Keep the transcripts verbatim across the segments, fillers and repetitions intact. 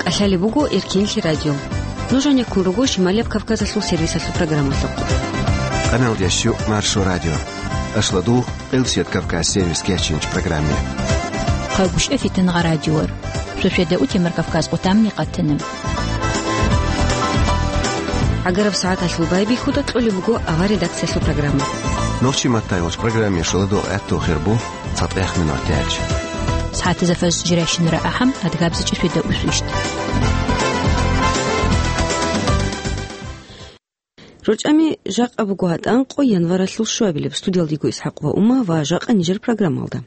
ТӀалъалеб буго Эркенлъи радио. Нуж гьанеккун руго Шималияб Кавказалъул сервисалъул программалъухъ. Къаналдящу Маршо радио. Ашладу Къилсият Кавказ сервис кечинч программе. Хъагушев Фитнагъа радиор. Шошеда утемар Кавказ къутамни къатана. ГӀагараб сагӀаталъул байбихьуда кьолеб буго ава редакциялъул программа. Нохчи маттайгъоч программе шоладо гӀатту хирбу. ЦатӀехъ минуталъ. СагӀатизе фажр жирайщинара ахӀам, адгабзичӀеб шведа усвищ. РорчӀами жакъа буго гьатӀан къо январалъул щуабилеб. Студиялдего ИсхӀакъ ва Ума ва жакъа нижер программалда.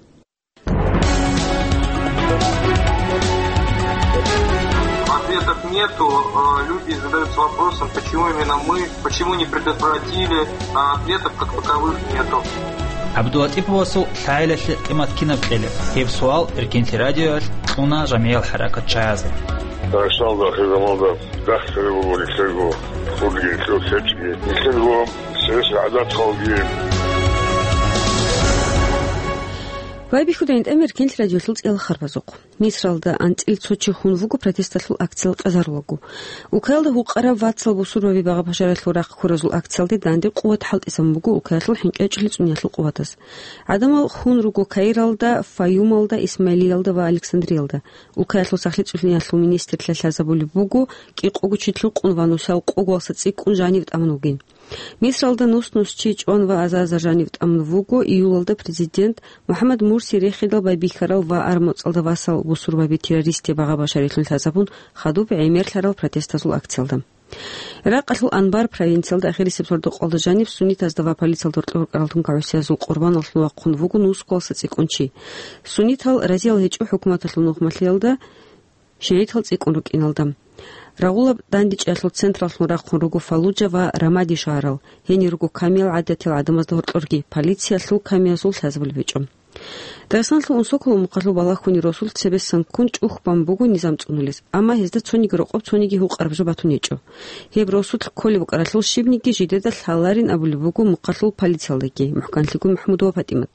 Ответов нету. Э, люди задаются вопросом, почему именно мы, почему не предотвратили, а ответов как таковых нету. ГӀабдулатӀиповасул лъагӀалилъи къимат кинаб кьелеб? Гьеб суал Эркенлъи радиоялъ кьуна жамигӀиял хӀаракатчагӀазда. Рашалда ахирзаманда дахсари буго нилъерго хурги, нилъер лъечӀги, нилъерго сес гӀадаталги. Байбихьуда гӀинтӀам Эркенлъи радиолъул цӀиял харбазухъ. Мисралда анцӀил цо чи хун вуго протесталъул акциял къазарулаго. Украиналда гьукъараб вацал бусурбаби багъа-башаралъул рахъ ккуразул акциялде данде къуват хӀалтӀисан буго Украиналъул хӀинкъи гьечӀолъи цӀуниялъул къуватаз. ГӀадамал хун руго Каиралда, Фаюмалда, Исмаилиялда ва Александриялда. Украиналъул сахлъи цӀуниялъул министрлъа лъазабулеб буго, кӀикъого чи лъукъун ва нусал къоголаса цӀикӀкӀун жанив тӀамун вугин. Мисралда нус-нус чи чӀван ва аза-азар жанив тӀамун вуго июлалда президент МухӀаммад Мурси рехидал байбихьарал ва армуцӀалда васал бусурбаби террористи багъа-башарилъун лъазабун хадуб гӀемерлъарал протестазул акциялда. Иракъалъул Анбар провинциялда ахирисеб сордо-къалда жаниб суннитазда ва полициялда гьоркьор рукӀарал тункагӀусиязул къурбаналлъун вахъун вуго нус кколаса цӀикӀкӀун чи. Суннитал разиял гьечӀо хӀукуматалъул нухмалъиялда, шигӀитал цӀикӀкӀун рукӀиналда. Рагъулаб дандечӀеялъул централлъун рахъун руго Фаллуджа ва Рамади шагьарал, гьенир руго камиял гӀадатиял гӀадамазда гьоркьорги, полициялъул камиязул лъазабулеб гьечӀо. Дагъистаналъул Унсоколо мухъалъул балагьуни росулъ цебесан ккун чӀухбан буго низам цӀунулес, амма гьезда цониги рокъоб цониги гьукъараб жо батун гьечӀо. Гьеб росулъ кколеб букӀаралъул щибниги жидеда лъаларин абулеб буго мухъалъул полициялдаги, мухӀканлъиго МахӀмудова ПатӀимат.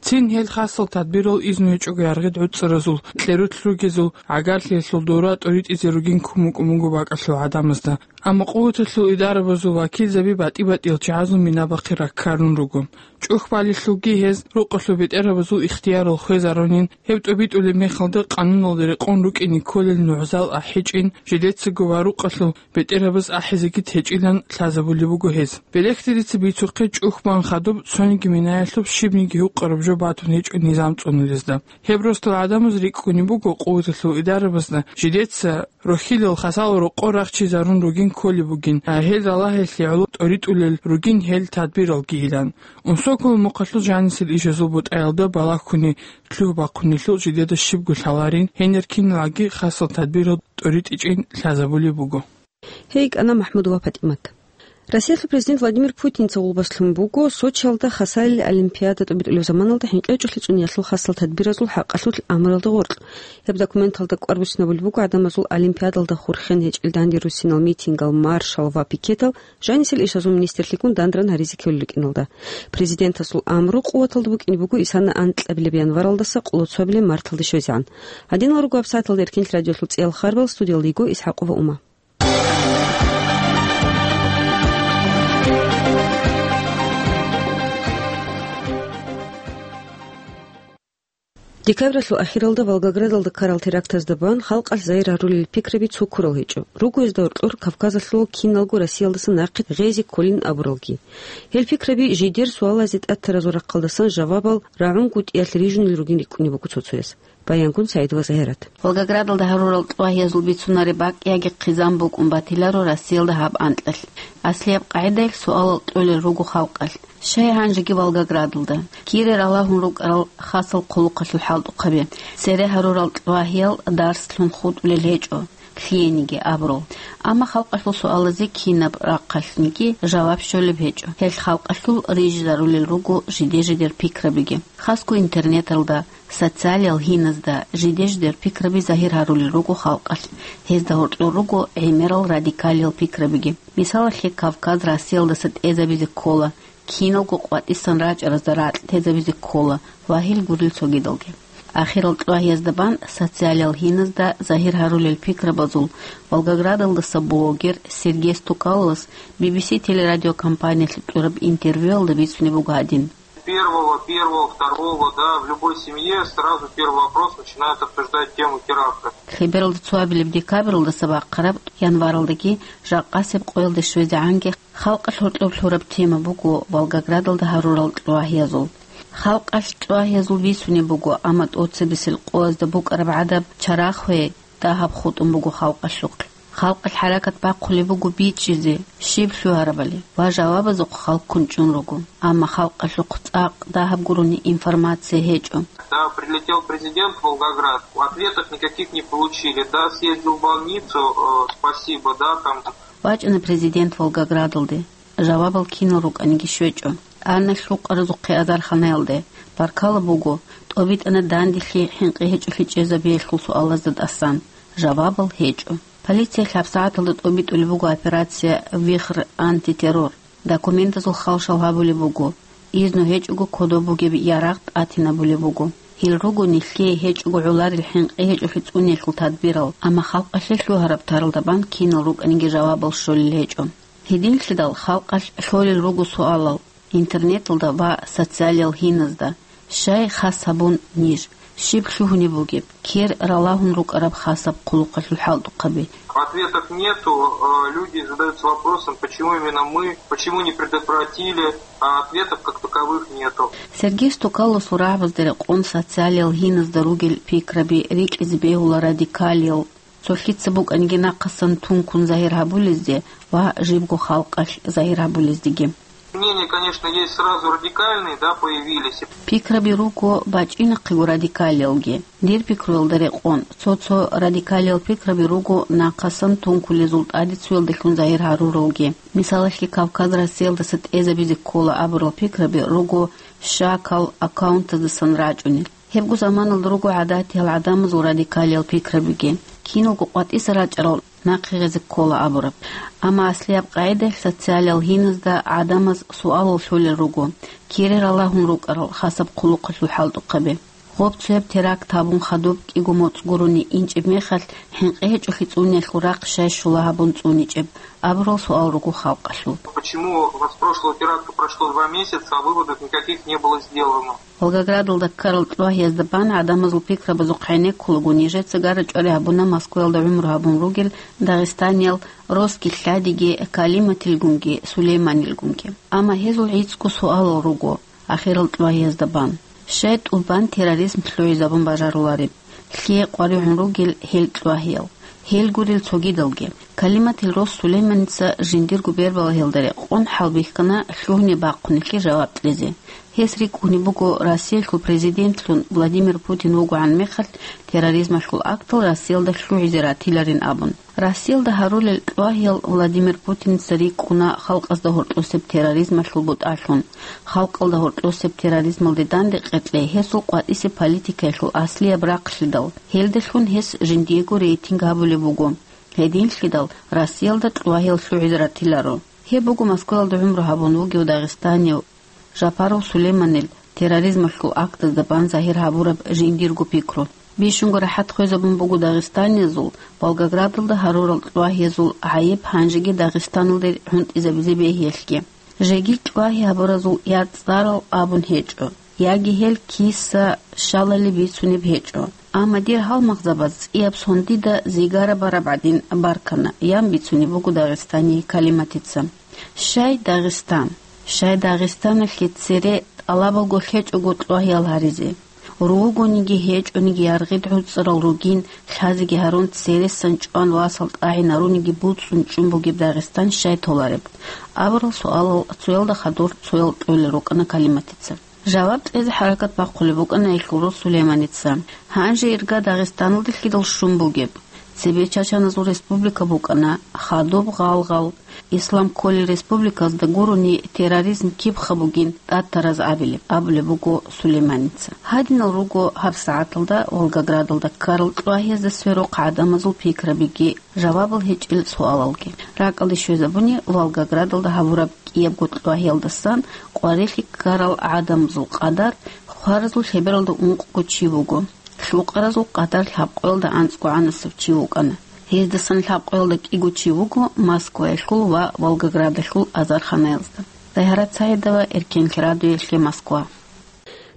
Цин гьел хасал тадбирал изну гьечӀого яргъид гӀуцӀаразул, кьерулъ ругезул, гӀагарлъиялъул дора тӀоритӀизе ругин кумукӀун буго бакӀалъул гӀадамазда. Амма къуваталъул идарабазул вакилзаби батӀи-батӀиял чагӀазул минабахъе раккарун руго. ЧӀухбалелъулги гьез рукъалъул бетӀерабазул ихтиярал хвезарунин, гьеб тӀобитӀулеб мехалда къануналда рекъон рукӀине кколел нугӀзал ахӀичӀин, жидецаго ва рукъалъул бетӀерабаз ахӀизеги течӀилан лъазабулеб буго гьез. Белехдерица бицухъе чӀухбан хадуб цониги минаялъуб щибниги гьукъараб жо батун гьечӀо низам цӀунулезда. Гьеб росдал гӀадамаз рикӀкӀунеб буго къуваталъул идарабазда жидеца рохьилал хасал рокъор рахчизарун ругин кколеб бугин, а гьел ралагьиялъе гӀоло тӀоритӀулел ругин гьел тадбиралгийилан. Унсоколо мухъалъул жанисел ишазул бутӀаялда балагьуни лъугь бахъунелъул жидеда щибго лъаларин, гьенир киналги хасал тадбирал тӀоритӀичӀин лъазабулеб буго. Гьей кӀана МахӀмудова ПатӀимат. Россиялъул президент Владимир Путинца гъулбаслъун буго Сочиялда хасалил олимпиада тӀобитӀулеб заманалда хӀинкъи гьечӀолъи цӀуниялъул хасал тадбиразул хӀакъалъулъ амралда гъоркь. Гьеб документалда кӀвар буссинабулеб буго гӀадамазул олимпиадалда хурхен гьечӀел данде руссинал митингал, маршал ва пикетал жанисел ишазул министрлъигун дандран гьаризе ккелел рукӀиналда. Президентасул амру къуваталда букӀине буго исана анкьабилеб январалдаса къолоцабилеб марталде щвезегӀан. Гьадинал руго гьабсагӀаталда Эркенлъи радиолъул цӀиял харбал, студиялда йиго ИсхӀакъова Ума. Декабралъул ахиралда Волгоградалда ккарал терактазда бан халкъалъ загьир гьарулел пикраби цо ккурал гьечӀо. Руго гьезда гьоркьор Кавказалъул киналго Россиялдаса нахъе гъезе кколин абуралги. Гьел пикраби жидер суалазе тӀатаразул рахъалдасан жавабал рагӀунгутӀиялъ рижунел ругин рикӀкӀунеб буго цо-цояс. Баянгун СагӀидова Загьират. Волгоградалда гьарурал тӀвагьиязул бицунареб бакӀ яги хъизан букӀун батиларо Россиялда гьаб анкьалъ. Аслияб къагӀидаялъ суалал кьолел руго халкъалъ. Щай гьанжеги Волгоградалда? Кире ралагьун рукӀарал хасал хъулухъалъул хӀалтӀухъаби. Цере гьарурал тӀвагьиял дарслъун хутӀулел гьечӀо, лъиениги абурал. Амма халкъалъул суалазе кинаб рахъалъниги жаваб щолеб гьечӀо. Гьел халкъалъул рижизарулел руго жиде-жидер пикрабиги. Хасго интернеталда, социалиял гьиназда жиде-жидер пикраби загьир гьарулел руго халкъалъ. Гьезда гьоркьор руго гӀемерал радикалиял пикрабиги. Мисалалъе, Кавказ Россиялдаса тӀезабизе ккола, киналго къватӀисан рачӀаразда ракь тезабизе ккола ва гьел гурел цогидалги. Ахирал чӀвагьиязда бан социалиял гьиназда загьир гьарулел пикрабазул Волгоградалдаса блогер Сергей Стукаловас Би Би Си телерадиокомпаниялъе кьураб интервьюялда бицунеб буго гьадин. Первого, первого, второго, да, в любой семье сразу первый вопрос начинают обсуждать тему теракта. Лъебералда цоабилеб декабралдаса бахъараб январалдаги жакъасеб къоялде щвезегӀанги халкъалъ гьоркьоб лъураб тема буго Волгоградалда гьарурал чӀвагьиязул. Халкъалъ чӀвагьиязул бицунеб буго, амма тӀоцебесел къоязда букӀараб гӀадаб чарахъ гьей дагьаб хутӀун буго халкъалъухъ. Халкъалъ хӀаракат бахъулеб буго бичӀчӀизе, щиб лъугьарабали ва жавабазухъ халккун чӀун руго, амма халкъалъухъ цӀакъ дагьаб гурони информация гьечӀо. Да, прилетел президент в Волгоград, ответов никаких не получили. Да, съездил в больницу, э, спасибо, да, там. ВачӀана президент Волгоградалде. Жавабал кинал рукӀаниги щвечӀо. Ана лъукъаразухъе азарханаялде. Баркала буго, тӀобитӀана данделъи хӀинкъи гьечӀолъи чӀезабиялъул суалазда тӀасан. Жавабал гьечӀо. Полициялъ гьабсагӀаталда тӀобитӀулеб буго операция «Вихр» антитеррор. Документазул халшал гьабулеб буго. Изну гьечӀого кодоб бугеб ярагъ тӀатинабулеб буго. Гьел руго нилъее гьечӀого гӀоларел хӀинкъи гьечӀолъи цӀуниялъул тадбирал, амма халкъалъе лъугьараб таралда бан кинал рукӀаниги жавабал щолел гьечӀо. Гьединлъидал халкъалъ лъолел руго суалал интернеталда ва социалиял гьиназда, щай хас гьабун ниж, щиб лъугьунеб бугеб, кер ралагьун рукӀараб хасаб хъулухъалъул хӀалтӀухъаби. Ответов нету, э, люди задаются вопросом, почему именно мы, почему не предотвратили, а ответов как таковых нету. Сергей Стукалосул рагӀабазда рекъон социалиял гьиназда ругел пикраби рикӀкӀизе бегьула радикалиял, цо лъица букӀаниги нахъасан тункун загьир гьабулезде ва жибго халкъалъ загьир гьабулездеги. Мнения, конечно, есть сразу радикальные, да, появились. Пикраби руго бачӀинахъего радикалиялги. Дир пикруялда рекъон, цо-цо радикалиял пикраби руго нахъасан тункулезул тӀаде цуялдалъун загьир гьаруралги. Мисалалъе, Кавказ Россиялдаса тӀезабизе ккола абурал пикраби руго щакал аккаунтаздасан рачӀунел. Гьебго заманалда руго гӀадатиял гӀадамазул радикалиял пикрабиги, киналго къватӀиса рачӀарал нахъе гъезе ккола абураб. Амма аслияб къагӀидаялъ социалиял гьиназда гӀадамаз суалал лъолел руго, кире ралагьун рукӀарал хасаб хъулухъалъул хӀалтӀухъаби. Гъоб цояб теракт гьабун хадуб кӀиго моцӀ гурони инчӀеб мехалъ, хӀинкъи гьечӀолъи цӀуниялъул рахъ щай щула гьабун цӀуничӀеб абурал суал руго халкъалъул. Почему с прошлого теракта прошло два месяца, а выводов никаких не было сделано? Волгоградалда ккарал чӀвагьиязда бан гӀадамазул пикрабазухъ гӀенеккулаго нижеца гара-чӀвари гьабуна Москваялда гӀумру гьабун ругел дагъистаниял Роски лъадиги Калиматилгунги Сулейманилгунги. Амма гьезул гӀицӀго суалал руго ахирал чӀвагьиязда бан. Щай тӀубан терроризм лъугӀизабун бажарулареб? Лъие къваригӀун ругел гьел чӀвагьиял. Гьел гурел цогидалги. Калиматил рос Сулейманица жиндирго бербалагьиялда рекъон хӀалбихьана лъугьни-бахъунелъе жаваб кьезе. Гьес рикӀкӀунеб буго Россиялъул президентлъун Владимир Путин вугогӀан мехалъ терроризмалъул актал Россиялда лъугӀизе ратиларин абун. Россиялда гьарулел чӀвагьиял Владимир Путиница рикӀкӀуна халкъазда гьоркьосеб терроризмалъул бутӀалъун. Халкъалда гьоркьосеб терроризмалде дандекъеклъи гьесул къватӀисеб политикаялъул аслияб рахълъидал, гьелдалъун гьес жиндиего рейтинг гьабулеб буго. Гьединлъидал Россиялда чӀвагьиял лъугӀизе ратиларо. Гьеб буго Москваялда гӀумру гьабун вугев дагъистанив Жапаров Сулейманил терроризмалъул актазда бан загьир гьабураб жиндирго пикру. Бищунго рахӀат хвезабун буго дагъистаниязул Волгоградалда гьарурал чӀвагьиязул гӀайиб гьанжеги Дагъистаналде гӀунтӀизабизе бегьиялъги. Жеги чӀвагьи гьабуразул я цӀарал абун гьечӀо, яги гьел киса щалали бицунеб гьечӀо. Амма дир гьалмагъзабаз цӀияб сон дида зигара бараб гӀадин баркана, ян бицунеб буго Дагъистание Калиматица. Щай Дагъистан? Щай Дагъистаналъе цере тӀалабалго лъечӀого чӀвагьиял гьаризе? Ругониги гьечӀониги яргъид гӀуцӀарал ругин, лъазеги гьарун цересан чӀван васал тӀагӀинаруниги буцӀцӀун чӀун бугеб Дагъистан щай толареб? Абурал суалал цоялда хадур цоял кьолел рукӀана Калиматица. Жаваб кьезе хӀаракат бахъулеб букӀана гьелъул рос Сулейманица. Гьанже ирга Дагъистаналде лъидал щун бугеб? Цебе чачаназул республика букӀана, хадуб гъалгъал, ислам кколел республикаялда гурони терроризм кибха бугин тӀад тараз абилеб, абулеб буго Сулейманица. Гьадинал руго гьабсагӀаталда Волгоградалда ккарал чӀвагьиязда сверухъ гӀадамазул пикрабиги жавабал гьечӀел суалалги. РакӀалде щвезабуни Волгоградалда гьабураб кӀиябго чӀвагьиялдасан къварилъи ккарал гӀадамазул къадар хваразул лъебералда ункъго чи буго. Гьукъаразул къадар лъабкъоялда анцӀгогӀанасев чи вукӀана. Гьездасан лъабкъоялда кӀиго чи вуго Москваялъул ва Волгоградалъул азарханаязда. Загьарат Саидова, Эркенлъи радиоялъе, Москва.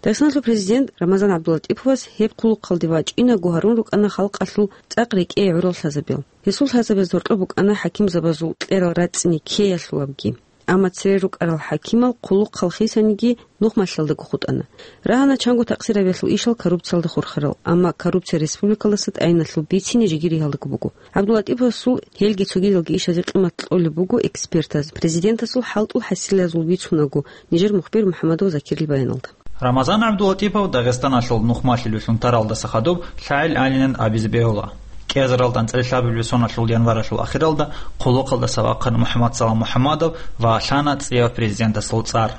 Дагъистаналъул президент Рамазан ГӀабдулатӀиповас гьеб хъулухъалде вачӀинаго гьарун рукӀана халкъалъул цӀакъ рекӀее гӀурал лъазабиял. Гьесул лъазабаз гьоркьоб букӀана хӀакимзабазул кьерал рацӀцӀине ккеялъулабги. Амма цере рукӀарал хӀакимал хъулухъал хисаниги нухмалъалдаго хутӀана. Рагьана чанго такъсирабиялъул ишал коррупциялда хурхарал, амма коррупция республикалдаса тӀайиналъул бицине жеги ригьалдаго буго. ГӀабдулатӀиповасул гьелги цогидалги ишазе къимат кьолеб буго экспертаз, президентасул хӀалтӀул хӀасилазул бицунаго нижер мухбир МухӀамадов Закирил баяналда. Рамазан ГӀабдулатӀипов Дагъистаналъул нухмалъи люлъун таралдаса хадуб лъагӀел гӀалинан абизе бегьула. КӀиазаралда анцӀила лъабабилеб соналъул январалъул ахиралда хъулухъалдаса вахъана МухӀаммадсалам МухӀаммадов ва лъана цӀияб президентасул цӀар.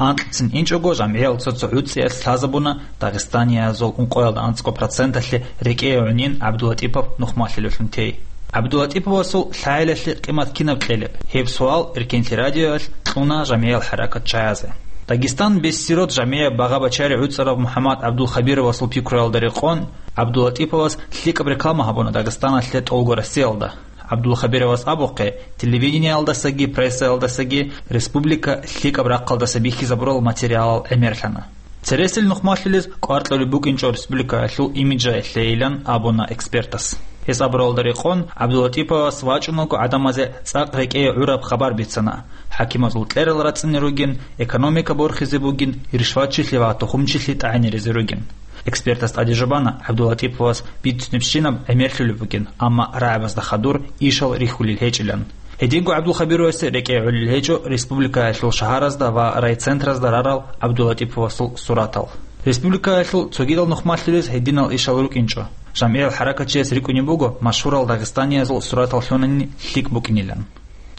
Анкьцин инчӀого жамгӀиял цо-цо гӀуцӀиялъ лъазабуна дагъистаниязул ункъоялда анцӀго проценталъе рекӀее гӀунин ГӀабдулатӀипов нухмалъи люлъун тей. ГӀабдулатӀиповасул лъагӀелалъе къимат кинаб кьелеб? Гьеб суал Эркенлъи радиоялъ кьуна жамгӀиял хӀаракат чагӀазе. Дагестан Бессирод жамгӀияб багъа-бачари гӀуцӀарав МухӀаммад ГӀабдулхабировасул пикруялда рекъон, ГӀабдулатӀиповас лъикӀаб реклама гьабуна Дагъистаналъе тӀолго Россиялда. ГӀабдулхабировас абухъе, телевидениялдасаги прессаялдасаги республика лъикӀаб рахъалдаса бихьизабурал материалал гӀемерлъана. Цересел нухмалъулез кӀвар кьолеб букӀинчӀо республикаялъул имиджаялъейилан абуна экспертас. Гьес абуралда рекъон, ГӀабдулатӀиповас вачӀунаго гӀадамазе цӀакъ рекӀее гӀураб хабар бицана: хӀакимазул кьерал рацӀцӀине ругин, экономика борхизе бугин, ришватчилъи ва тухумчилъи тӀагӀинеризе ругин. Экспертас тӀадежубана, ГӀабдулатӀиповас бицунебщинаб гӀемерлъулеб бугин, амма рагӀабазда хадур ишал рихьулел гьечӀилан. Гьединго ГӀабдулхабировасе рекӀее гӀолел гьечӀо республикаялъул шагьаразда ва райцентразда рарал ГӀабдулатӀиповасул суратал. Республикаялъул цогидал нухмалъулез гьединал ишал рукӀинчӀо. ЖамгӀиял хӀаракатчияс рикӀкӀунеб буго машгьурал дагъистаниязул суратал лъунани лъикӀ букӀинилан.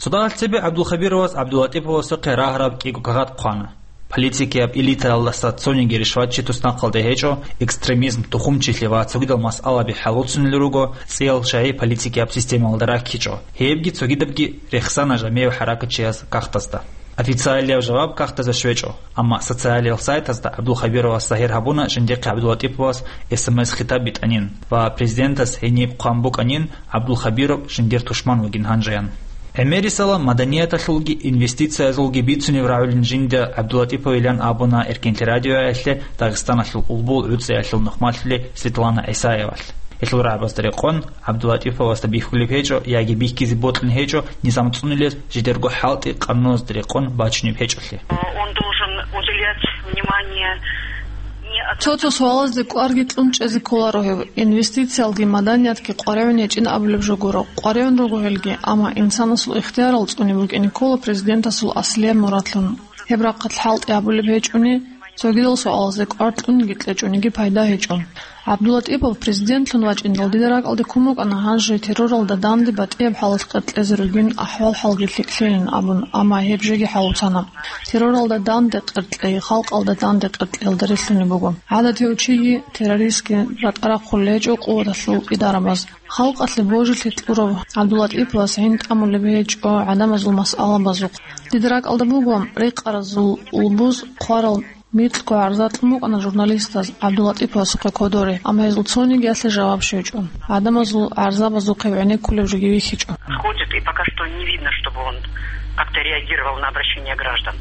Цо дагьалъ цебе ГӀабдулхабировас ГӀабдулатӀиповасухъе рагъараб кӀиго кагъат хъвана. Политикияб элитаялдаса цониги ришватчи туснахъалде гьечӀо, экстремизм, тухумчилъи ва цогидал масъалаби хӀалуцунел руго, цӀиял чагӀи политикияб системаялда раккичӀо. Гьебги цогидабги рехсана жамгӀияв хӀаракатчияс кагътазда. Официалияб жаваб кагътазда щвечӀо, амма социалиял сайтазда ГӀабдулхабировас загьир гьабуна жиндихъе ГӀабдулатӀиповас СМС-хитаб битӀанин ва президентас гьениб хъван букӀанин, ГӀабдулхабиров жиндир тушман вугин гьанжеян. ГӀемерисела маданияталъулги инвестициязулги бицунеб рагӀулин жинда ГӀабдулатӀиповилан абуна Эркенлъи радиоялъе Дагъистаналъул улбул гӀуцӀиялъул нухмалъули Светлана ГӀисаевалъ. Гьелъул рагӀабазда рекъон, ГӀабдулатӀиповасда бихьулеб гьечӀо яги бихьизе бокьун гьечӀо низам цӀунулес жидерго хӀалтӀи къануназда рекъон бачунеб гьечӀолъи. Он должен уделять внимание не от- Цо-цо суалазде кӀварги кьун чӀезе кколаро гьев. Инвестициялги маданиятги къваригӀун гьечӀин абулеб жо гуро. КъваригӀун руго гьелги, амма инсанасул ихтиярал цӀуне букӀине ккола президентасул аслияб мурадлъун. Гьеб рахъалъ хӀалтӀи гьабулеб гьечӀони, цогидал суалазде кӀвар кьуниги кьечӀониги пайда гьечӀо. ГӀабдулатӀипов президентлъун вачӀиндал дида ракӀалде ккун букӀана гьанже терроралда данде батӀияб хӀалалъ къеркьезе ругин, ахӀвал-хӀалги лъикӀлъейин абун, амма гьеб жеги хӀалуцана. Терроралда данде къеркьей, халкъалда данде къеркьеялда релълъунеб буго. ГӀадатияв чиги террористги ратӀа рахъулел гьечӀо къуваталъул идарабаз. Халкъалъе божилъи кьурав ГӀабдулатӀиповас гӀин тӀамулеб гьечӀо гӀадамазул масъалабазухъ. Дида ракӀалда буго рекъаразул улбуз хъварал микьго гӀарза кьун букӀана журналистаз ГӀабдулатӀиповасухъе кодоре, амма гьезул цонигиялъе жаваб щвечӀо. ГӀадамазул гӀарзабазухъе гӀенеккулеб жоги вихьичӀо. Ходит, и пока что не видно, чтобы он как-то реагировал на обращения граждан.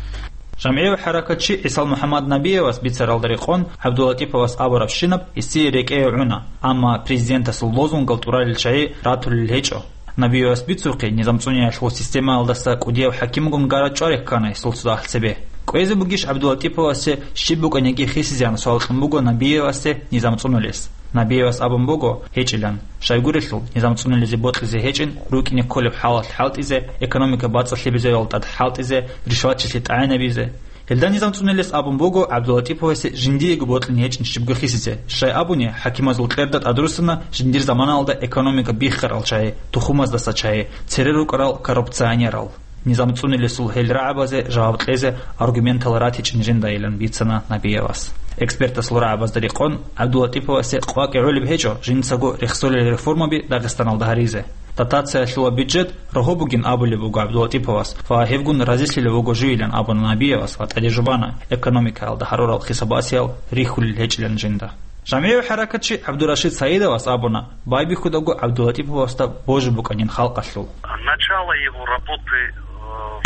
ЖамгӀияв хӀаракатчи ГӀисал МухӀаммад Набиевас бицаралда рекъон, ГӀабдулатӀиповас абурабщинаб гьесие рекӀее гӀуна, амма президентасул лозунгал тӀуралел чагӀи ратулел гьечӀо. Набиевас бицухъе, низамцӀуниялъул системаялдаса кӀудияв хӀакимгун гара чӀваре ккана гьесул цо дагьалъ цебе. КӀвезе бугищ ГӀабдулатӀиповасе щиб букӀаниги хисизеян суал кьун буго Набиевасе низам цӀунулес. Набиевас абун буго гьечӀилан, щайгурелъул низам цӀунулезе бокьизе гьечӀин, рукӀине кколеб хӀалалъ хӀалтӀизе, экономика бацӀцӀалъи бизевал тӀад хӀалтӀизе, ришватчилъи тӀагӀинабизе. Гьелда низам цӀунулес абун буго ГӀабдулатӀиповасе жиндиего бокьун гьечӀин щибго хисизе, щай абуни хӀакимазул кьерда тӀадруссана жиндир заманалда экономика биххарал чагӀи, тухумаздаса чагӀи, цере рукӀарал коррупционерал. Низам цӀунулесул гьел рагӀабазе жаваб кьезе аргументал ратичӀин жиндайилан бицана Набиевас. Экспертасул рагӀабазда рекъон, ГӀабдулатӀиповасе къвакӀи гӀолеб гьечӀо жинцаго рехсолел реформаби Дагъистаналда гьаризе. Дотациялъул ва бюджет рогьо бугин абулеб буго ГӀабдулатӀиповас ва гьебгун разилъилев вуго живилан абуна Набиевас ва тӀадежубана экономикаялда гьарурал хисабасиял рихьулел гьечӀилан жинда. ЖамигӀи хӀаракатчи ГӀабдурашид Саидовас абуна, байбихьудаго ГӀабдулатиповасда божи букӀанин халкъалъул. Начало его работы, э,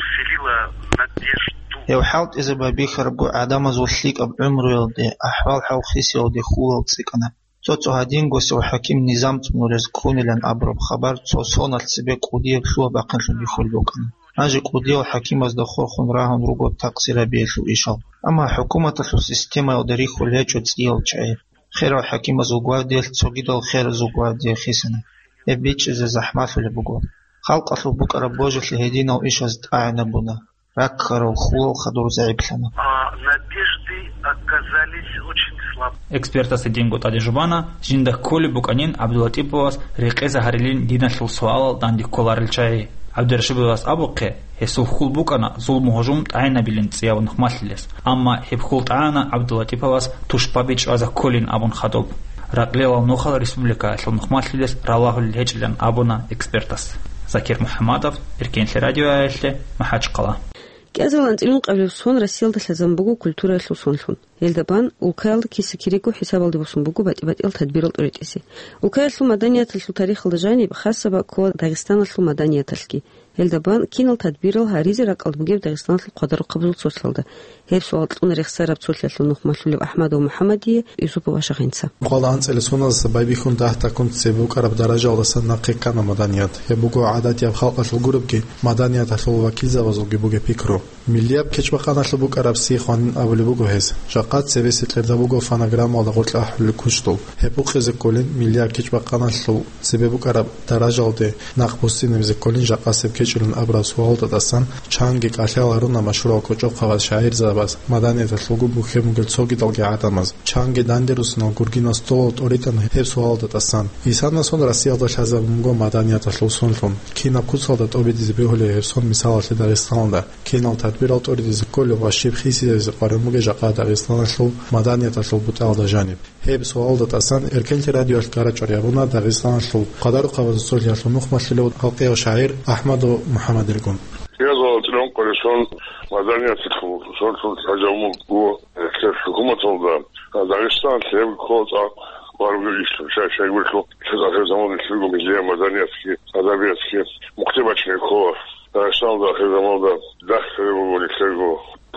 вселило надежду. Гьев хӀалтӀизе байбихьарабго гӀадамазул лъикӀаб гӀумруялде, ахӀвал-хӀал хисиялде хьулал цӀикӀкӀана. Цо-цо гьадингосев хӀаким низам цӀунурез ккунилан абураб хабар цо соналъ цебе кӀудияб лъугьа-бахъинлъун бихьулеб букӀана. Гьанже кӀудиял хӀакимазда хурхун рагьун руго такъсирабиялъул ишал. Амма хӀукуматалъул системаялда рихьулел гьечӀо цӀиял чагӀи. Херал хӀакимазул гвардиялъ цогидал херазул гвардия хисана. Гьеб бичӀчӀизе захӀмалъулеб буго. Халкъалъул букӀараб божилъи гьединал ишаз тӀагӀинабуна. Раккарав хьулал хадур загӀиплъана. А надежды оказались очень слабы. Экспертас гьединго тӀаде жубана, жинда кколеб букӀанин ГӀабдулатиповас рекъезе гьарилин диналъул суалал данде кколарел чагӀи. ГӀабдурашидовас абухъе, гьесул хьул букӀана зулму-гьужум тӀагӀинабилин цӀияб нухмалъилес, амма гьеб хьул тӀагӀана ГӀабдулатиповас тушбаби чӀвазе кколин абун хадуб. Ракълилал нухал республикаялъул нухмалъилес ралагьулел гьечӀилан абуна экспертас. Закир МухӀаммадов, Эркенлъи радиоялъе, МахӀачхъала. КӀиазул анцӀила ункъабилеб сон Россиялда лъазабун буго культураялъул сонлъун. Гьелда бан улкаялда киса-кириго хӀисабалде босун буго батӀи-батӀиял тадбирал тӀуритӀизе. Улкаялъул маданияталъул тарихалда жаниб хасаб ккола Дагъистаналъул маданияталъги. Гьелда бан кинал тадбирал гьаризе ракӀалда бугеб Дагъистаналъул хъвадарухъабазул цолъалда? Гьеб суал кьуна рехсараб цолъиялъул нухмалъулеб АхӀмадов МухӀаммадие Юсупов Ашагъинца. Къвалда анцӀила соналдаса байбихьун дагь-такун цебе букӀараб даражаялдасан нахъе ккана маданият. Гьеб буго гӀадатияб халкъалъул гуребги, маданияталъул вакилзабазулги бугеб пикру. Миллияб кечӀбахъаналъуб букӀараб сихъ гьанин абулеб буго гьес. Жакъа цебесеб кьерда буго фонограммалда гъоркьа ахӀулел кучӀдул. Гьеб букъизе кколин миллияб кечӀбахъаналъул цебе букӀараб даражалде нахъ буссинабизе кколин жакъасеб кечӀилан абураб суалалда тӀасан чанги кӀалъал гьаруна машгьурал кӀочӀохъабаз, шагӀирзабаз, маданияталъулго бухьен бугел цогидалги гӀадамаз, чанги дандерусинал гургинал столал тӀоритӀана гьеб суалалда тӀасан. Исанасон Россиялда лъазабун буго маданияталъул сонлъун. Кинаб куцалда тӀобитӀизе бегьулеб гьеб сон мисалалъе Дагъистаналда? Кинал тадбирал тӀоритӀизе кколеб ва щиб хисизе къваригӀун бугеб жакъа Дагъистаналъул маданияталъул бутӀалда жаниб? Гьеб суалалда тӀасан Эркенлъи радиоялъ кӀарачӀвар гьабуна Дагъистаналъул хъвадарухъабазул цолъиялъул нухмалъулев халкъияв шагӀир АхӀмадов МухӀаммадилгун. Кьиазул анцӀила ункъабилеб сон маданияталъул сонлъун лъазабун буго гьеб хӀукуматалда. Дагъистаналъ гьеб ккола цӀакъ къваригӀун иш, щай-щайгурелъул, ахир заман нилъерго миллияб маданиятги, адабиятги мухъде бачине ккола. Дагъистаналда ахир заманалда дагь лъугьине буго нилъерго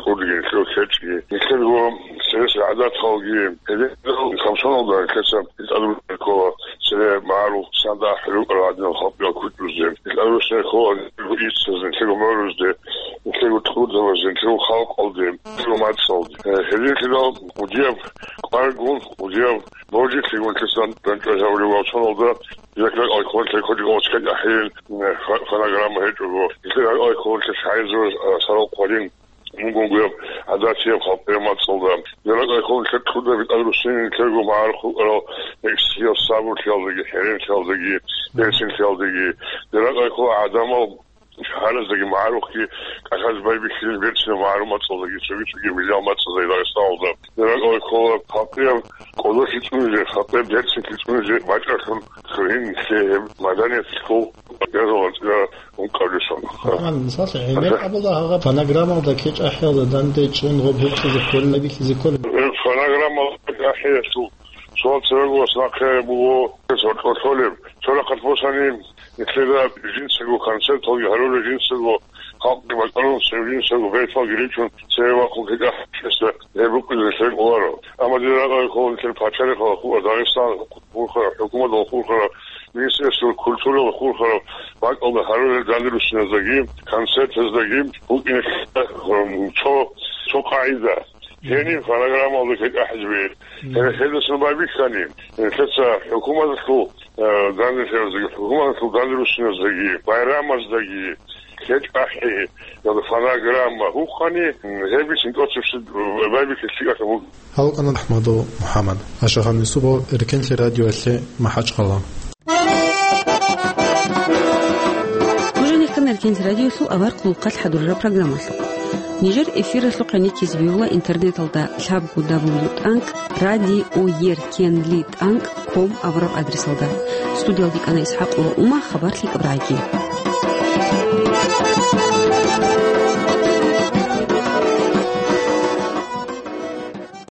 кьурги, нилъерго кечӀги, нилъерго цересел гӀадаталги. Гьединал хъамсоналда нилъеца тӀадруссине ккола цере магӀарул сандахӀ рукӀарал гӀадинал халкъиял кучӀдузде. ТӀадруссине ккола нилъерго иццазде, нилъерго гӀумруялде, нилъерго тӀурдабазде, нилъерго халкъалде, нилъерго мацӀалде. Гьединлъидал кӀудияб къваригӀун, кӀудияб божилъигун нилъеца дандчӀвай гьабулеб вацаналда, Жакъа алкогольлъи кодек оцкъи ахӀейин, фо-, фонограмма гьечӀого. Жакъа алкогольлъи шагьизул, а, сарал хъварин мунгунгуяб гӀадатияб халкъияб мацӀалда. Жакъа алкогольлъи кьуда битӀарусин нилъерго магӀарухъ рукӀарал гӀисияб сабурлъиялдаги, хӀеренлъиялдаги, берцинлъиялдаги. Жакъа алкогольлъи гӀадамал шагьараздаги магӀарухъги кӀалъазе байбихьилин берцинаб магӀарул мацӀалдаги, цоги-цоги миллиял мацӀаздаги Дагъистаналда. Жакъа алкогольлъи халкъияб кӀодолъи цӀунизе, халкъияб берцинлъи цӀунизе бачӀаралъун Цогьин лъе гьеб маданияталъул язала цӀира ункъабилеб сон. Гьанже мисаллъи, гӀемер абула гьагъаб фонограммалда кечӀ ахӀиялда данде чӀун гъоб гьукъизе кколин, бихьизе кколин. Фонограммалда кечӀ ахӀиялъул суал церегоялъ нахъе буго, гьес гьоркьоб лъолеб. Цо рахъалъ босани, нилъеда жинцаго концерталги гьарулел, жинцаго халкъги бакӀарун, цеве жинцаго берталги ричун, цеве вахъун кечӀ ахӀиялъ гьеб букӀизе лъай кӀоларо. Амма дир рагӀалъ нилъер пачалихъалъ хурхараб, Дагъистаналъ хурхараб, хӀукуматалъ хурхараб, Министерство культуралъ хурхараб бакӀалда гьарулел данде руссиназдаги, концертаздаги букӀине цо, цо къагӀида. Гьениб фонограммалда кечӀ ахӀизеги. Гье-, гьелдасан байбихьани, лъеца хӀукуматалъул, э, данделъияздаги, хӀукуматалъул данде руссиназдаги, байрамаздаги, кечӀ ахӀи, яда фонограмма гьукъани, гьеб бицин тӀоцебесеб байбихьи лъикӀалъун буго. Гьав вукӀана АхӀмадов МухӀаммад. Ашагьан Юсупов, Эркенлъи радиоялъе, МахӀачхъала. Нуж гьанир ккана Эркенлъи радиоялъул авар хъулухъалъ хӀадурараб программалъухъ. Нижер эфиралъухъ гӀенеккизе бегьула интернеталда лъабго дабл ю тӀанкӀ радиоеркенли тӀанкӀ ком абураб адресалда. Студиялда кӀана ИсхӀакъ ва Ума, хабар лъикӀаб рагӀи.